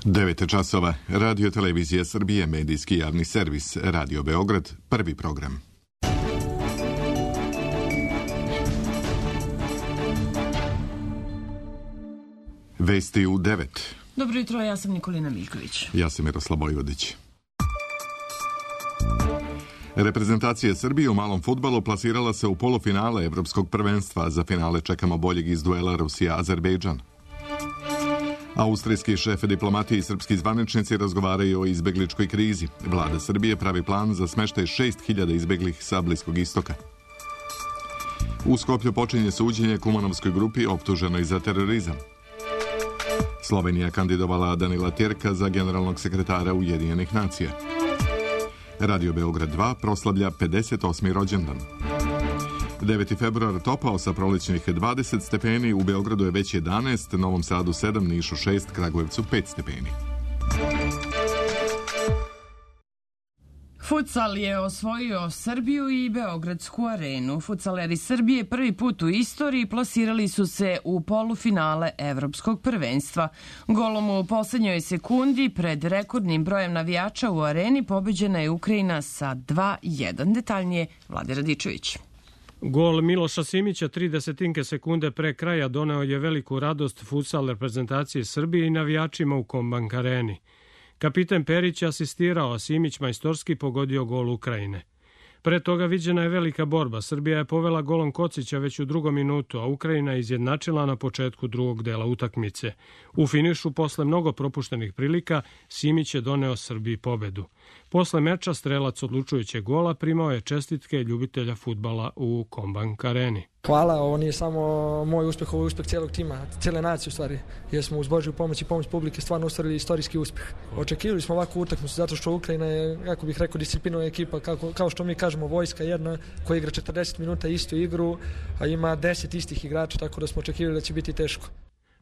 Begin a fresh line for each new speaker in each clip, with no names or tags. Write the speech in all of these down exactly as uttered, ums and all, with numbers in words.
devet časova. Radio Televizija Srbije, medijski javni servis, Radio Beograd, prvi program. Vesti u devet.
Dobro jutro, ja sam Nikolina Miljković.
Ja sam Miroslav Bojvodić. Reprezentacija Srbije u malom fudbalu plasirala se u polufinale Evropskog prvenstva. Za finale čekamo boljeg iz duela Rusija-Azerbejdžan. Austrijski šef diplomatije i srpski zvaničnici razgovaraju o izbegličkoj krizi. Vlada Srbije pravi plan za smeštaj šest hiljada izbeglih sa Bliskog istoka. U Skoplju počinje suđenje Kumanovskoj grupi optuženoj za terorizam. Slovenija kandidovala Danila Tjerka za generalnog sekretara Ujedinjenih nacija. Radio Beograd dva proslavlja pedeset osmi rođendan. deveti februar topao sa prolećnih dvadeset stepeni, u Beogradu je već jedanaest, Novom Sadu sedam, Nišu šest, Kragujevcu pet stepeni.
Futsal je osvojio Srbiju i Beogradsku arenu. Futsaleri Srbije prvi put u istoriji plasirali su se u polufinale Evropskog prvenstva. Golom u poslednjoj sekundi pred rekordnim brojem navijača u areni pobeđena je Ukrajina sa dva jedan. Detaljnije Vlade Radičević.
Gol Miloša Simića tri desetinke sekunde pre kraja doneo je veliku radost futsal reprezentacije Srbije i navijačima u Kombank areni. Kapitan Perić asistirao, a Simić majstorski pogodio gol Ukrajine. Pre toga viđena je velika borba. Srbija je povela golom Kocića već u drugom minutu, a Ukrajina je izjednačila na početku drugog dela utakmice. U finišu, posle mnogo propuštenih prilika, Simić je doneo Srbiji pobedu. Posle meča strelac odlučujućeg gola primao je čestitke ljubitelja fudbala u Kombank areni.
Hvala, ovo nije samo moj uspeh, ovo je uspeh cijelog tima, cijele nacije u stvari, jer smo uz Božju pomoć i pomoć publike stvarno ostvarili istorijski uspeh. Očekivali smo ovakvu utakmicu zato što Ukrajina je, kako bih rekao, disciplinovana ekipa, kako, kao što mi kažemo, vojska jedna koja igra četrdeset minuta istu igru, a ima deset istih igrača, tako da smo očekivali da će biti teško.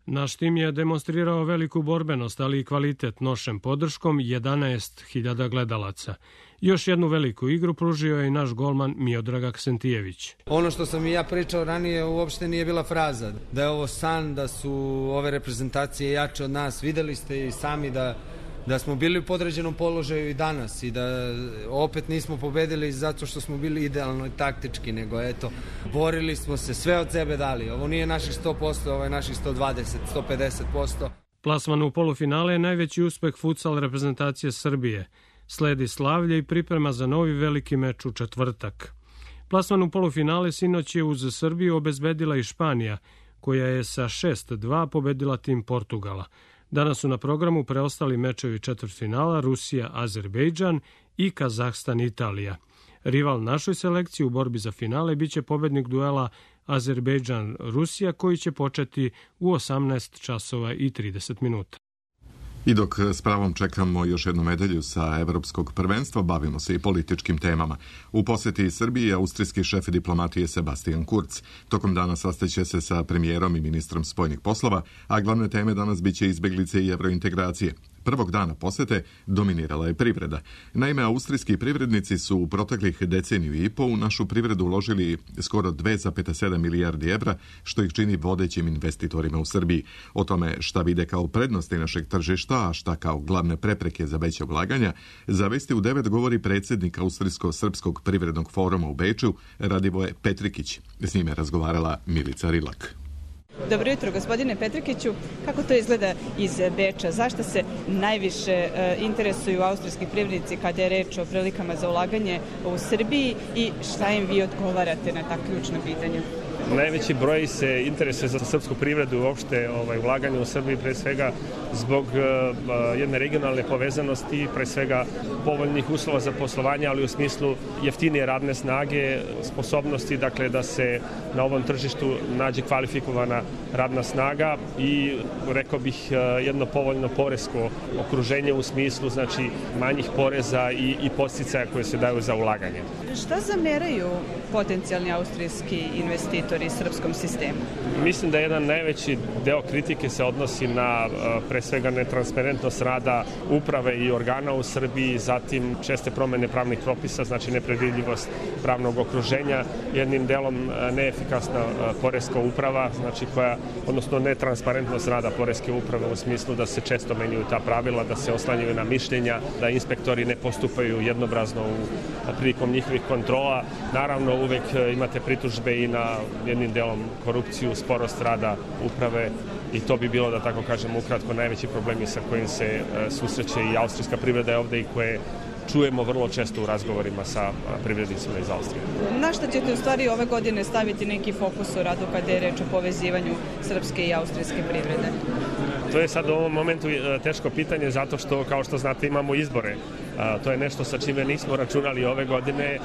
Naš tim je demonstrirao veliku borbenost, ali i kvalitet nošem podrškom jedanaest hiljada gledalaca. Još jednu veliku igru pružio je i naš golman Miodrag Aksentijević.
Ono što sam i ja pričao ranije uopšte nije bila fraza. Da je ovo san, da su ove reprezentacije jače od nas. Videli ste i sami da, da smo bili u podređenom položaju i danas i da opet nismo pobedili zato što smo bili idealno i taktički, nego eto, borili smo se, sve od sebe dali. Ovo nije naših sto posto, ovo je naših sto dvadeset, sto pedeset posto.
Plasman u polufinale je najveći uspeh futsal reprezentacije Srbije. Sledi slavlje i priprema za novi veliki meč u četvrtak. Plasman u polufinale sinoć je uz Srbiju obezbedila i Španija, koja je sa šest dva pobedila tim Portugala. Danas su na programu preostali mečevi četvrtfinala Rusija, Azerbejdžan i Kazahstan, Italija. Rival našoj selekciji u borbi za finale biće pobednik duela Azerbejdžan, Rusija, koji će početi u osamnaest časova i trideset minuta.
I dok s pravom čekamo još jednu medalju sa Evropskog prvenstva, bavimo se i političkim temama. U poseti Srbiji austrijski šef diplomatije Sebastian Kurz. Tokom dana sastaće se sa premijerom i ministrom spoljnih poslova, a glavne teme danas biće izbeglice i evrointegracije. Prvog dana posete dominirala je privreda. Naime, austrijski privrednici su u proteklih deceniju i po u našu privredu uložili skoro dve zarez sedam milijardi evra, što ih čini vodećim investitorima u Srbiji. O tome šta vide kao prednosti našeg tržišta, a šta kao glavne prepreke za veće ulaganja, za Vesti u devet govori predsjednik Austrijsko-srpskog privrednog foruma u Beču, Radivoje Petrikić. S njime razgovarala Milica Rilak.
Dobro jutro, gospodine Petrikiću. Kako to izgleda iz Beča? Zašto se najviše interesuju austrijski privrednici kada je reč o prilikama za ulaganje u Srbiji i šta im vi odgovarate na ta ključna pitanja?
Najveći broj se interesuje za srpsku privredu i uopšte ovaj, ulaganje u Srbiji, pre svega zbog uh, jedne regionalne povezanosti, pre svega povoljnih uslova za poslovanje, ali u smislu jeftinije radne snage, sposobnosti dakle, da se na ovom tržištu nađe kvalifikovana radna snaga i, rekao bih, jedno povoljno poresko okruženje u smislu znači, manjih poreza i, i podsticaja koje se daju za ulaganje.
Šta zameraju potencijalni austrijski investitori investitori srpskom sistemu?
Mislim da jedan najveći deo kritike se odnosi na pre svega netransparentnost rada uprave i organa u Srbiji, zatim česte promene pravnih propisa, znači nepredvidljivost pravnog okruženja, jednim delom neefikasna poreska uprava, znači koja, odnosno netransparentnost rada poreske uprave u smislu da se često menjaju ta pravila, da se oslanjaju na mišljenja, da inspektori ne postupaju jednobrazno u prilikom njihovih kontrola. Naravno, uvek imate pritužbe i na jednim delom korupciju, sporost rada uprave i to bi bilo, da tako kažem, ukratko najveći problemi sa kojim se susreće i austrijska privreda je ovde i koje čujemo vrlo često u razgovorima sa privrednicima iz Austrije.
Na šta ćete u stvari ove godine staviti neki fokus u radu kada je reč o povezivanju srpske i austrijske privrede?
To je sad u ovom momentu teško pitanje zato što, kao što znate, imamo izbore. To je nešto sa čime nismo računali ove godine,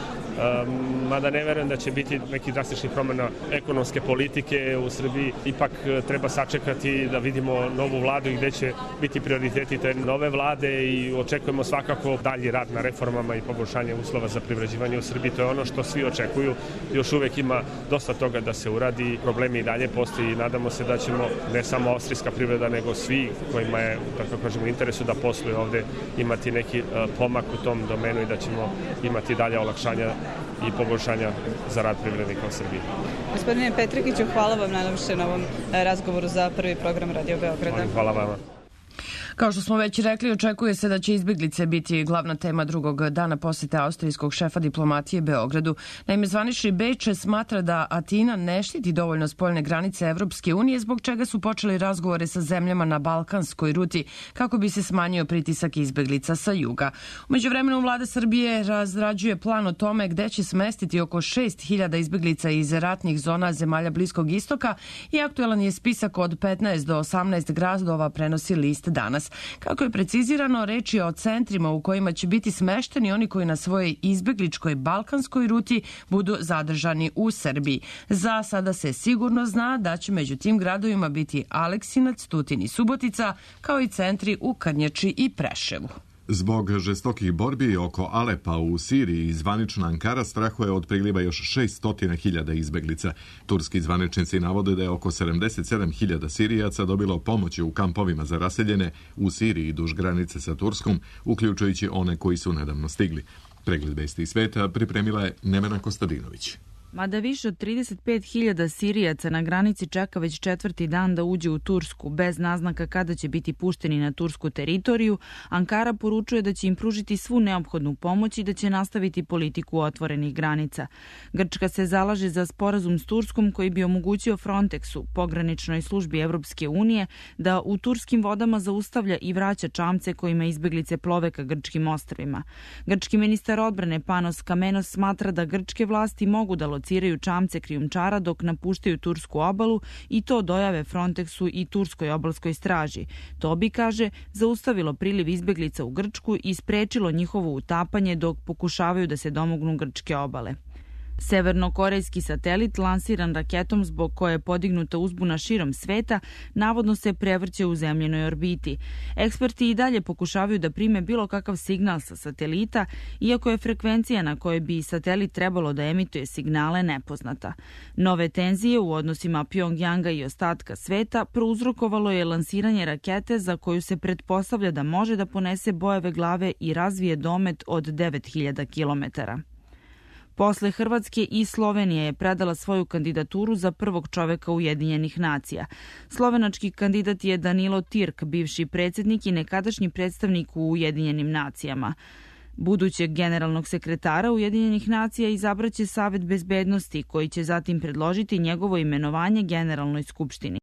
mada ne verujem da će biti neki drastični promjena ekonomske politike u Srbiji. Ipak treba sačekati da vidimo novu vladu i gde će biti prioriteti te nove vlade i očekujemo svakako dalji rad na reformama i poboljšanje uslova za privređivanje u Srbiji. To je ono što svi očekuju. Još uvek ima dosta toga da se uradi, problemi i dalje postoji i nadamo se da ćemo ne samo austrijska privreda, nego svi kojima je, tako kažemo, u interesu da posluju ovde imati neki pomak u tom domenu i da ćemo imati dalje olakšanja i poboljšanja za rad privrednika u Srbiji.
Gospodine Petrikiću, hvala vam najlepše na ovom razgovoru za prvi program Radio Beograda.
Hvala vama.
Kao što smo već rekli, očekuje se da će izbeglice biti glavna tema drugog dana posete austrijskog šefa diplomatije Beogradu. Naime, zvanični Beč smatra da Atina ne štiti dovoljno spoljne granice Evropske unije, zbog čega su počeli razgovore sa zemljama na balkanskoj ruti kako bi se smanjio pritisak izbeglica sa juga. U međuvremenu vlada Srbije razrađuje plan o tome gde će smestiti oko šest hiljada izbeglica iz ratnih zona zemalja Bliskog istoka i aktuelan je spisak od petnaest do osamnaest gradova, prenosi list Danas. Kako je precizirano, reč je o centrima u kojima će biti smešteni oni koji na svojoj izbegličkoj balkanskoj ruti budu zadržani u Srbiji. Za sada se sigurno zna da će među tim gradovima biti Aleksinac, Tutin i Subotica, kao i centri u Krnjači i Preševu.
Zbog žestokih borbi oko Alepa u Siriji, zvanična Ankara strahuje od priliva još šessto hiljada izbeglica. Turski zvaničnici navode da je oko sedamdeset sedam hiljada Sirijaca dobilo pomoći u kampovima za raseljene u Siriji duž granice sa Turskom, uključujući one koji su nedavno stigli. Pregled vesti iz sveta pripremila je Nevena Kostadinović.
Mada više od trideset pet hiljada Sirijaca na granici čeka već četvrti dan da uđe u Tursku, bez naznaka kada će biti pušteni na tursku teritoriju, Ankara poručuje da će im pružiti svu neophodnu pomoć i da će nastaviti politiku otvorenih granica. Grčka se zalaže za sporazum s Turskom koji bi omogućio Frontexu, pograničnoj službi Evropske unije, da u turskim vodama zaustavlja i vraća čamce kojima izbeglice plove ka grčkim ostrvima. Grčki ministar odbrane Panos Kamenos smatra da grčke vlasti mogu da lociraju čamce krijumčara dok napuštaju tursku obalu i to dojave Frontexu i turskoj obalskoj straži. To bi, kaže, zaustavilo priliv izbeglica u Grčku i sprečilo njihovo utapanje dok pokušavaju da se domognu grčke obale. Severnokorejski satelit, lansiran raketom zbog koje je podignuta uzbuna širom sveta, navodno se prevrće u zemljenoj orbiti. Eksperti i dalje pokušavaju da prime bilo kakav signal sa satelita, iako je frekvencija na kojoj bi satelit trebalo da emituje signale nepoznata. Nove tenzije u odnosima Pjongjanga i ostatka sveta prouzrokovalo je lansiranje rakete za koju se pretpostavlja da može da ponese bojeve glave i razvije domet od devet hiljada kilometara. Posle Hrvatske i Slovenije je predala svoju kandidaturu za prvog čoveka Ujedinjenih nacija. Slovenački kandidat je Danilo Tirk, bivši predsjednik i nekadašnji predstavnik u Ujedinjenim nacijama. Budućeg generalnog sekretara Ujedinjenih nacija izabraće Savet bezbednosti, koji će zatim predložiti njegovo imenovanje Generalnoj skupštini.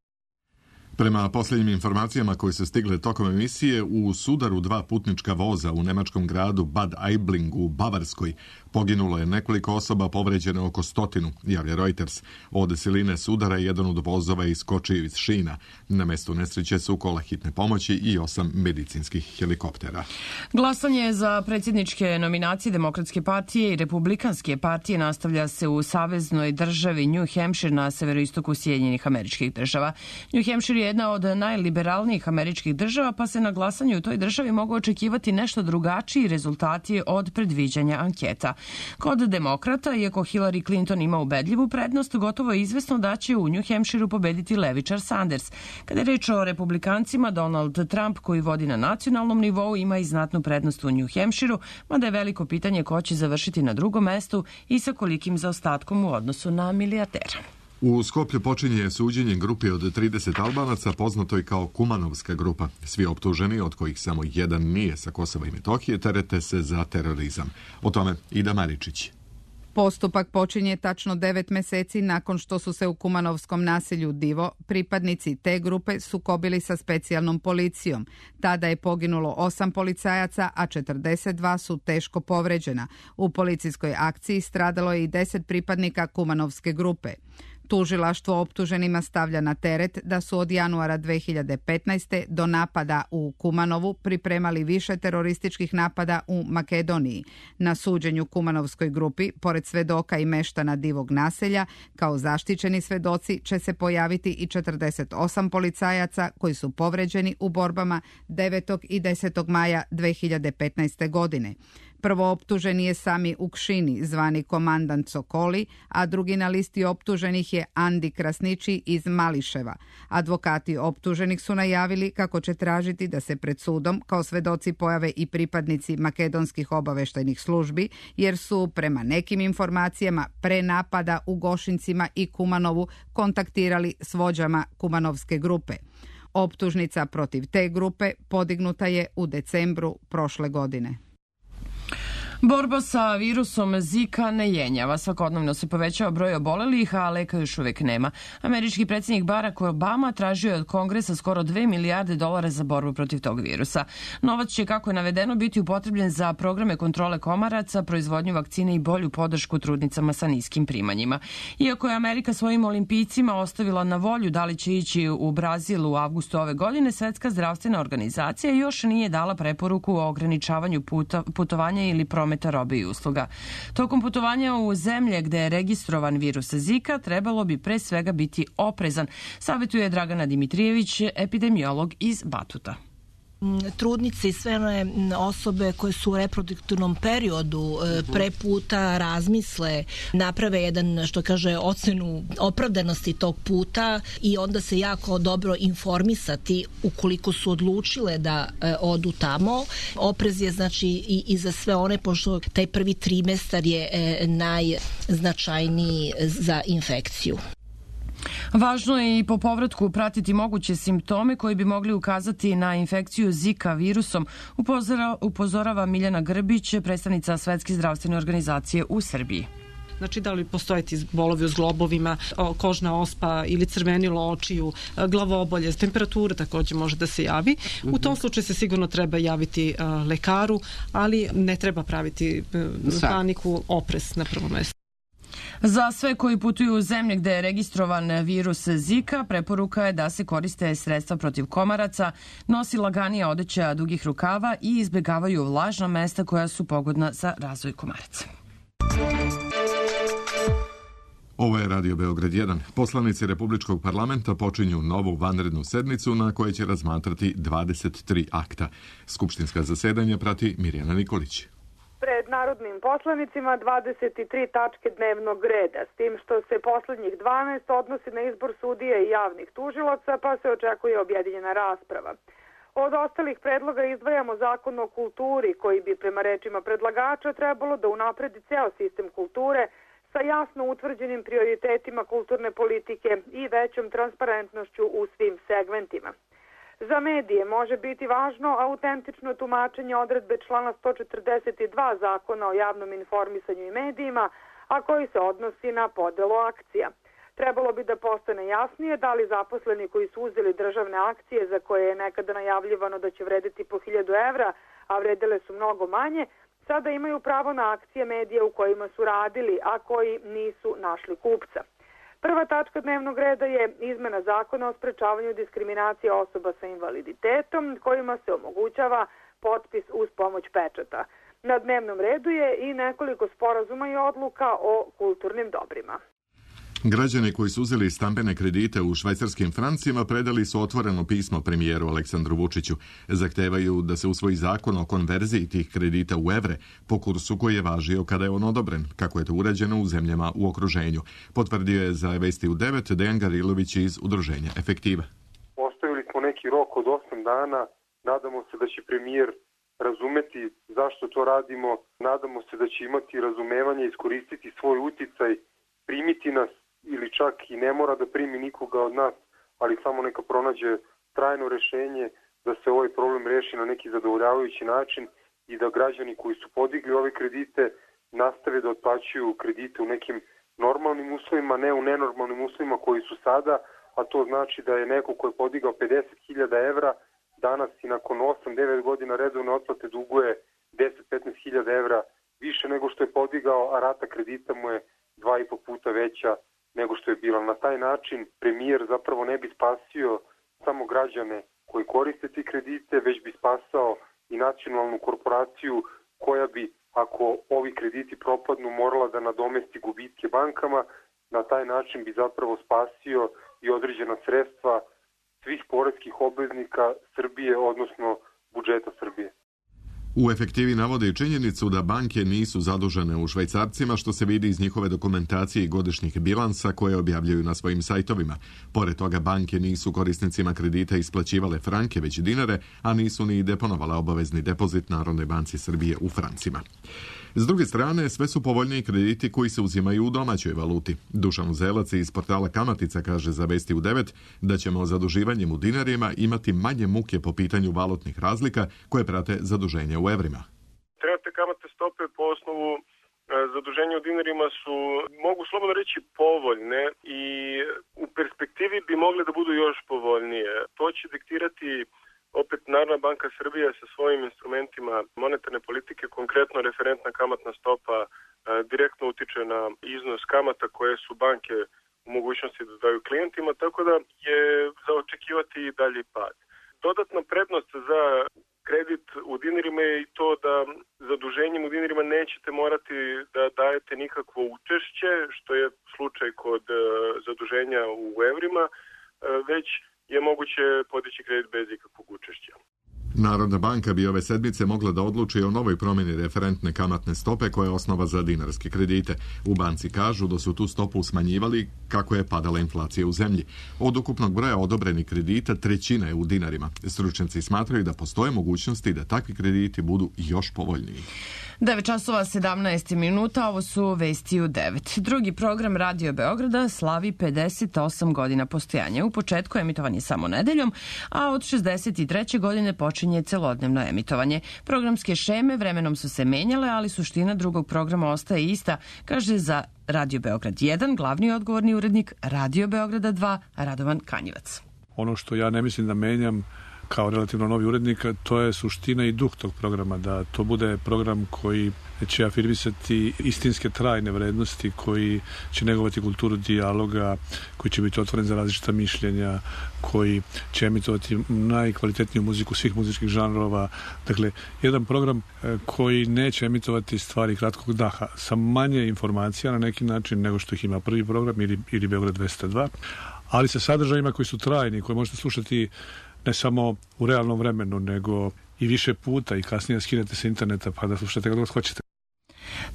Prema posljednjim informacijama koje su stigle tokom emisije, u sudaru dva putnička voza u nemačkom gradu Bad Aibling u Bavarskoj poginulo je nekoliko osoba, povređene oko stotinu, javlja Reuters. Od siline sudara jedan od vozova iskočio iz šina. Na mestu nesreće su kola hitne pomoći i osam medicinskih helikoptera.
Glasanje za predsjedničke nominacije Demokratske partije i Republikanske partije nastavlja se u saveznoj državi New Hampshire na severoistoku Sjedinjenih Američkih Država. New Hampshire je jedna od najliberalnijih američkih država, pa se na glasanju u toj državi mogu očekivati nešto drugačiji rezultati od predviđanja anketa. Kod demokrata, iako Hillary Clinton ima ubedljivu prednost, gotovo je izvesno da će u New Hampshireu pobediti levičar Sanders. Kada je reč o republikancima, Donald Trump, koji vodi na nacionalnom nivou, ima i znatnu prednost u New Hampshireu, mada je veliko pitanje ko će završiti na drugom mestu i sa kolikim zaostatkom u odnosu na milijardera.
U Skoplju počinje suđenje grupi od trideset Albanaca, poznatoj kao Kumanovska grupa. Svi optuženi, od kojih samo jedan nije sa Kosova i Metohije, terete se za terorizam. O tome Ida Maričić.
Postupak počinje tačno devet meseci nakon što su se u kumanovskom naselju Divo pripadnici te grupe sukobili sa specijalnom policijom. Tada je poginulo osam policajaca, a četrdeset dva su teško povređena. U policijskoj akciji stradalo je i deset pripadnika kumanovske grupe. Tužilaštvo optuženima stavlja na teret da su od januara dve hiljade petnaeste. do napada u Kumanovu pripremali više terorističkih napada u Makedoniji. Na suđenju Kumanovskoj grupi, pored svedoka i meštana Divog naselja, kao zaštićeni svedoci će se pojaviti i četrdeset osam policajaca koji su povređeni u borbama devetog i desetog maja dve hiljade petnaeste. godine. Prvo optuženi je Sami Ukšini, zvani komandant Sokoli, a drugi na listi optuženih je Andi Krasniči iz Mališeva. Advokati optuženih su najavili kako će tražiti da se pred sudom kao svedoci pojave i pripadnici makedonskih obaveštajnih službi, jer su prema nekim informacijama pre napada u Gošincima i Kumanovu kontaktirali s vođama Kumanovske grupe. Optužnica protiv te grupe podignuta je u decembru prošle godine.
Borba sa virusom Zika ne jenjava. Svakodnevno se povećava broj obolelih, a leka još uvek nema. Američki predsjednik Barack Obama tražio je od Kongresa skoro dve milijarde dolara za borbu protiv tog virusa. Novac će, kako je navedeno, biti upotrebljen za programe kontrole komaraca, proizvodnju vakcine i bolju podršku trudnicama sa niskim primanjima. Iako je Amerika svojim olimpijcima ostavila na volju da li će ići u Brazil u avgustu ove godine, Svetska zdravstvena organizacija još nije dala preporuku o ograničavanju puta, putovanja ili prometa robe i usluga. Tokom putovanja u zemlje gde je registrovan virus Zika trebalo bi pre svega biti oprezan, savjetuje Dragana Dimitrijević, epidemiolog iz Batuta.
Trudnice i sve one osobe koje su u reproduktivnom periodu pre puta razmisle, naprave jedan, što kaže, ocenu opravdanosti tog puta i onda se jako dobro informisati ukoliko su odlučile da odu tamo. Oprez je znači i, i za sve one, pošto taj prvi trimestar je najznačajniji za infekciju.
Važno je i po povratku pratiti moguće simptome koji bi mogli ukazati na infekciju Zika virusom, upozora, upozorava Miljana Grbić, predstavnica Svetske zdravstvene organizacije u Srbiji.
Znači, da li postoje ti bolovi u zglobovima, kožna ospa ili crvenilo očiju, glavobolje, temperatura također može da se javi. U tom slučaju se sigurno treba javiti lekaru, ali ne treba praviti paniku, oprez na prvom mjestu.
Za sve koji putuju u zemlje gde je registrovan virus Zika, preporuka je da se koriste sredstva protiv komaraca, nosi laganija odeća dugih rukava i izbegavaju vlažna mesta koja su pogodna za razvoj komaraca.
Ovo je Radio Beograd jedan. Poslanici Republičkog parlamenta počinju novu vanrednu sednicu na kojoj će razmatrati dvadeset tri akta. Skupštinska zasedanja prati Mirjana Nikolić.
Pred narodnim poslanicima dvadeset tri tačke dnevnog reda, s tim što se poslednjih dvanaest odnosi na izbor sudija i javnih tužilaca, pa se očekuje objedinjena rasprava. Od ostalih predloga izdvajamo zakon o kulturi, koji bi prema rečima predlagača trebalo da unapredi ceo sistem kulture sa jasno utvrđenim prioritetima kulturne politike i većom transparentnošću u svim segmentima. Za medije može biti važno autentično tumačenje odredbe člana sto četrdeset dva Zakona o javnom informisanju i medijima, a koji se odnosi na podelu akcija. Trebalo bi da postane jasnije da li zaposleni koji su uzeli državne akcije za koje je nekada najavljivano da će vrediti po hiljadu evra, a vredele su mnogo manje, sada imaju pravo na akcije medija u kojima su radili, a koji nisu našli kupca. Prva tačka dnevnog reda je izmena zakona o sprečavanju diskriminacije osoba sa invaliditetom, kojima se omogućava potpis uz pomoć pečata. Na dnevnom redu je i nekoliko sporazuma i odluka o kulturnim dobrima.
Građani koji su uzeli stambene kredite u švajcarskim francima predali su otvoreno pismo premijeru Aleksandru Vučiću. Zahtevaju da se usvoji zakon o konverziji tih kredita u evre po kursu koji je važio kada je on odobren, kako je to urađeno u zemljama u okruženju. Potvrdio je za Vesti u devet Dejan Garilović iz udruženja Efektiva.
Postavili smo neki rok od osam dana, nadamo se da će premijer razumeti zašto to radimo, nadamo se da će imati razumevanje, iskoristiti svoj uticaj, primiti nas ili čak i ne mora da primi nikoga od nas, ali samo neka pronađe trajno rešenje da se ovaj problem reši na neki zadovoljavajući način i da građani koji su podigli ove kredite nastave da otplaćuju kredite u nekim normalnim uslovima, ne u nenormalnim uslovima koji su sada, a to znači da je neko ko je podigao pedeset hiljada evra danas i nakon osam devet godina redovne otplate duguje deset do petnaest hiljada evra više nego što je podigao, a rata kredita mu je dva i po puta veća nego što je bila. Na taj način premijer zapravo ne bi spasio samo građane koji koriste ti kredite, već bi spasao i nacionalnu korporaciju koja bi, ako ovi krediti propadnu, morala da nadomesti gubitke bankama. Na taj način bi zapravo spasio i određena sredstva svih poreskih obveznika Srbije, odnosno budžeta Srbije.
U Efektivi navode i činjenicu da banke nisu zadužene u švajcarcima, što se vidi iz njihove dokumentacije i godišnjih bilansa koje objavljuju na svojim sajtovima. Pored toga, banke nisu korisnicima kredita isplaćivale franke, već dinare, a nisu ni deponovale obavezni depozit Narodnoj banci Srbije u francima. S druge strane, sve su povoljniji krediti koji se uzimaju u domaćoj valuti. Dušan Uzelac iz portala Kamatica kaže za Vesti u devet da ćemo zaduživanjem u dinarima imati manje muke po pitanju valutnih razlika koje prate zaduženje u evrima.
Trenutne kamatne stope po osnovu zaduženja u dinarima su, mogu slobodno reći, povoljne i u perspektivi bi mogle da budu još povoljnije. To će diktirati opet Narodna banka Srbije sa svojim instrumentima monetarne politike, konkretno referentna kamatna stopa e, direktno utiče na iznos kamata koje su banke u mogućnosti da daju klijentima, tako da je za očekivati i dalji pad. Dodatna prednost za kredit u dinarima je i to da zaduženjem u dinarima nećete morati da dajete nikakvo učešće, što je slučaj kod e, zaduženja u evrima, e, već je moguće podići kredit bez ikakvog učešća.
Narodna banka bi ove sedmice mogla da odluči o novoj promjeni referentne kamatne stope koja je osnova za dinarske kredite. U banci kažu da su tu stopu smanjivali kako je padala inflacija u zemlji. Od ukupnog broja odobrenih kredita trećina je u dinarima. Stručnjaci smatraju da postoje mogućnosti da takvi krediti budu još povoljniji.
devet časova sedamnaest minuta, ovo su Vesti u devet. Drugi program Radio Beograda slavi pedeset osam godina postojanja. U početku emitovan je samo nedeljom, a od šezdeset treće godine počinje celodnevno emitovanje. Programske šeme vremenom su se menjale, ali suština drugog programa ostaje ista, kaže za Radio Beograd jedan glavni odgovorni urednik Radio Beograda dva Radovan Kanjivac.
Ono što ja ne mislim da menjam kao relativno novi urednik, to je suština i duh tog programa, da to bude program koji će afirmisati istinske trajne vrednosti, koji će negovati kulturu dijaloga, koji će biti otvoren za različita mišljenja, koji će emitovati najkvalitetniju muziku svih muzičkih žanrova. Dakle, jedan program koji neće emitovati stvari kratkog daha, sa manje informacija na neki način nego što ih ima prvi program ili, ili Beograd dvesta dva, ali sa sadržajima koji su trajni, koje možete slušati ne samo u realnom vremenu, nego i više puta i kasnije skinete sa interneta pa da slušate kako hoćete.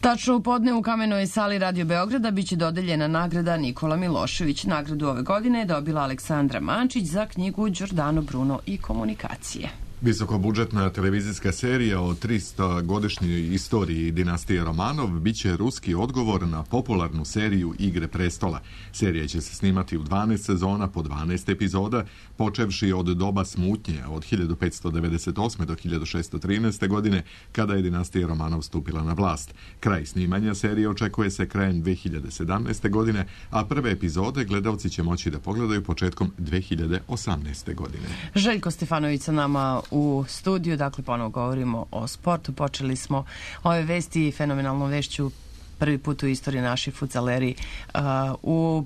Tačno u podne u Kamenoj sali Radio Beograda biće dodeljena nagrada Nikola Milošević. Nagradu ove godine je dobila Aleksandra Mančić za knjigu Đordano Bruno i komunikacije.
Visokobudžetna televizijska serija o tristogodišnjoj istoriji dinastije Romanov biće ruski odgovor na popularnu seriju Igre prestola. Serija će se snimati u dvanaest sezona po dvanaest epizoda, počevši od doba smutnje od hiljadu petsto devedeset osme do hiljadu šessto trinaeste. godine, kada je dinastija Romanov stupila na vlast. Kraj snimanja serije očekuje se krajem dve hiljade sedamnaeste. godine, a prve epizode gledalci će moći da pogledaju početkom dve hiljade osamnaeste. godine.
Željko Stefanović sa nama u studiju, dakle ponovo govorimo o sportu. Počeli smo ove vesti fenomenalnom vešću prvi put u istoriji naši fudzaleri uh, u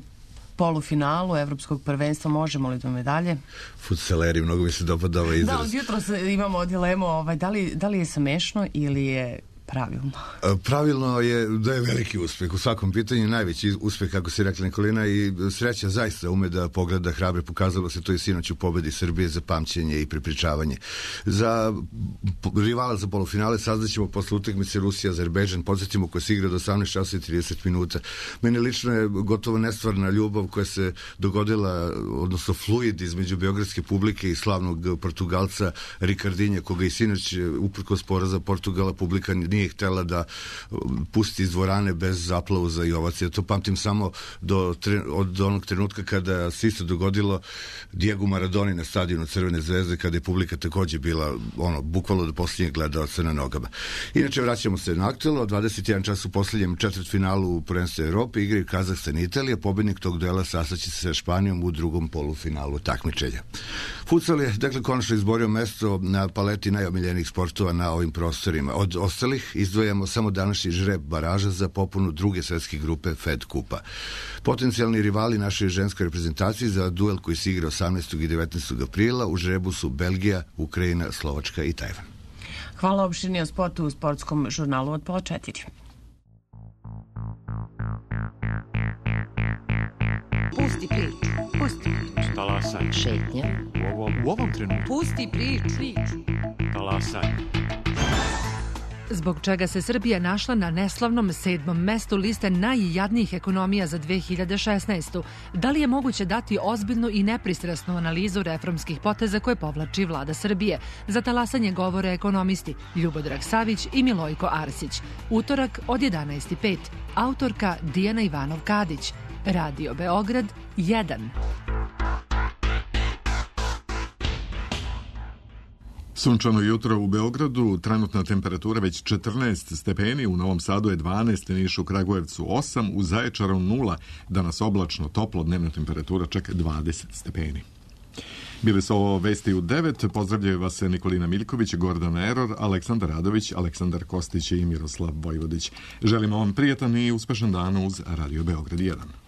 polufinalu evropskog prvenstva. Možemo li do medalje?
Fudzaleri, mnogo mi se dopada ovaj izraz.
Da, od jutro imamo dilemu ovaj, da, li, da li je smešno ili je pravilno?
Pravilno je da je veliki uspeh. U svakom pitanju najveći uspeh, kako si rekla Nikolina, i sreća zaista ume da pogleda hrabre. Pokazalo se to i sinoć u pobedi Srbije za pamćenje i prepričavanje. Za rivala za polufinale saznaćemo posle utakmice Rusija-Azerbejdžan. Podsjetimo ko se igra do osamnaest časova i trideset minuta. Meni lično je gotovo nestvarna ljubav koja se dogodila, odnosno fluid između beogradske publike i slavnog Portugalca Ricardinha, koga i sinoć uprkos poraza Portugala publika nije htela da pusti iz dvorane bez aplauza i ovacija. To pamtim samo do, od onog trenutka kada se isto dogodilo Diego Maradoni na stadionu Crvene zvezde, kada je publika takođe bila ono, bukvalno do posljednjeg gledalca na nogama. Inače, vraćamo se na aktuelno. dvadeset jedan čas u posljednjem četvrtfinalu u prvenstvu Evrope igraju Kazahstan i Italija. Pobednik tog duela sastaće se sa Španijom u drugom polufinalu takmičenja. Futsal je, dakle, konačno izborio mesto na paleti najomiljenijih sportova na ovim prostorima. Od ostalih izdvajamo samo današnji žreb baraža za popunu druge svetske grupe Fed Kupa. Potencijalni rivali naše ženske reprezentacije za duel koji se igra osamnaestog i devetnaestog aprila u žrebu su Belgija, Ukrajina, Slovačka i Tajvan.
Hvala opštini o sportu u sportskom žurnalu od pola četiri.
Pusti priču. Pusti priču.
Talasaj.
Šetnja.
U ovom, u ovom trenutku.
Pusti priču. priču.
Talasaj.
Zbog čega se Srbija našla na neslavnom sedmom mestu liste najjadnijih ekonomija za dve hiljade šesnaestu. Da li je moguće dati ozbiljnu i nepristrasnu analizu reformskih poteza koje povlači vlada Srbije? Za talasanje govore ekonomisti Ljubodrag Savić i Milojko Arsić. Utorak od jedanaest i pet. Autorka Dijana Ivanov-Kadić. Radio Beograd jedan.
Sunčano jutro u Beogradu, trenutna temperatura već četrnaest stepeni, u Novom Sadu je dvanaest, Nišu, Kragujevcu osam, u Zaječaru nula, danas oblačno, toplo, dnevna temperatura čak dvadeset stepeni. Bili su ovo vesti u devet, pozdravljaju vas Nikolina Miljković, Gordana Eror, Aleksandar Radović, Aleksandar Kostić i Miroslav Vojvodić. Želimo vam prijetan i uspešan dan uz Radio Beograd jedan.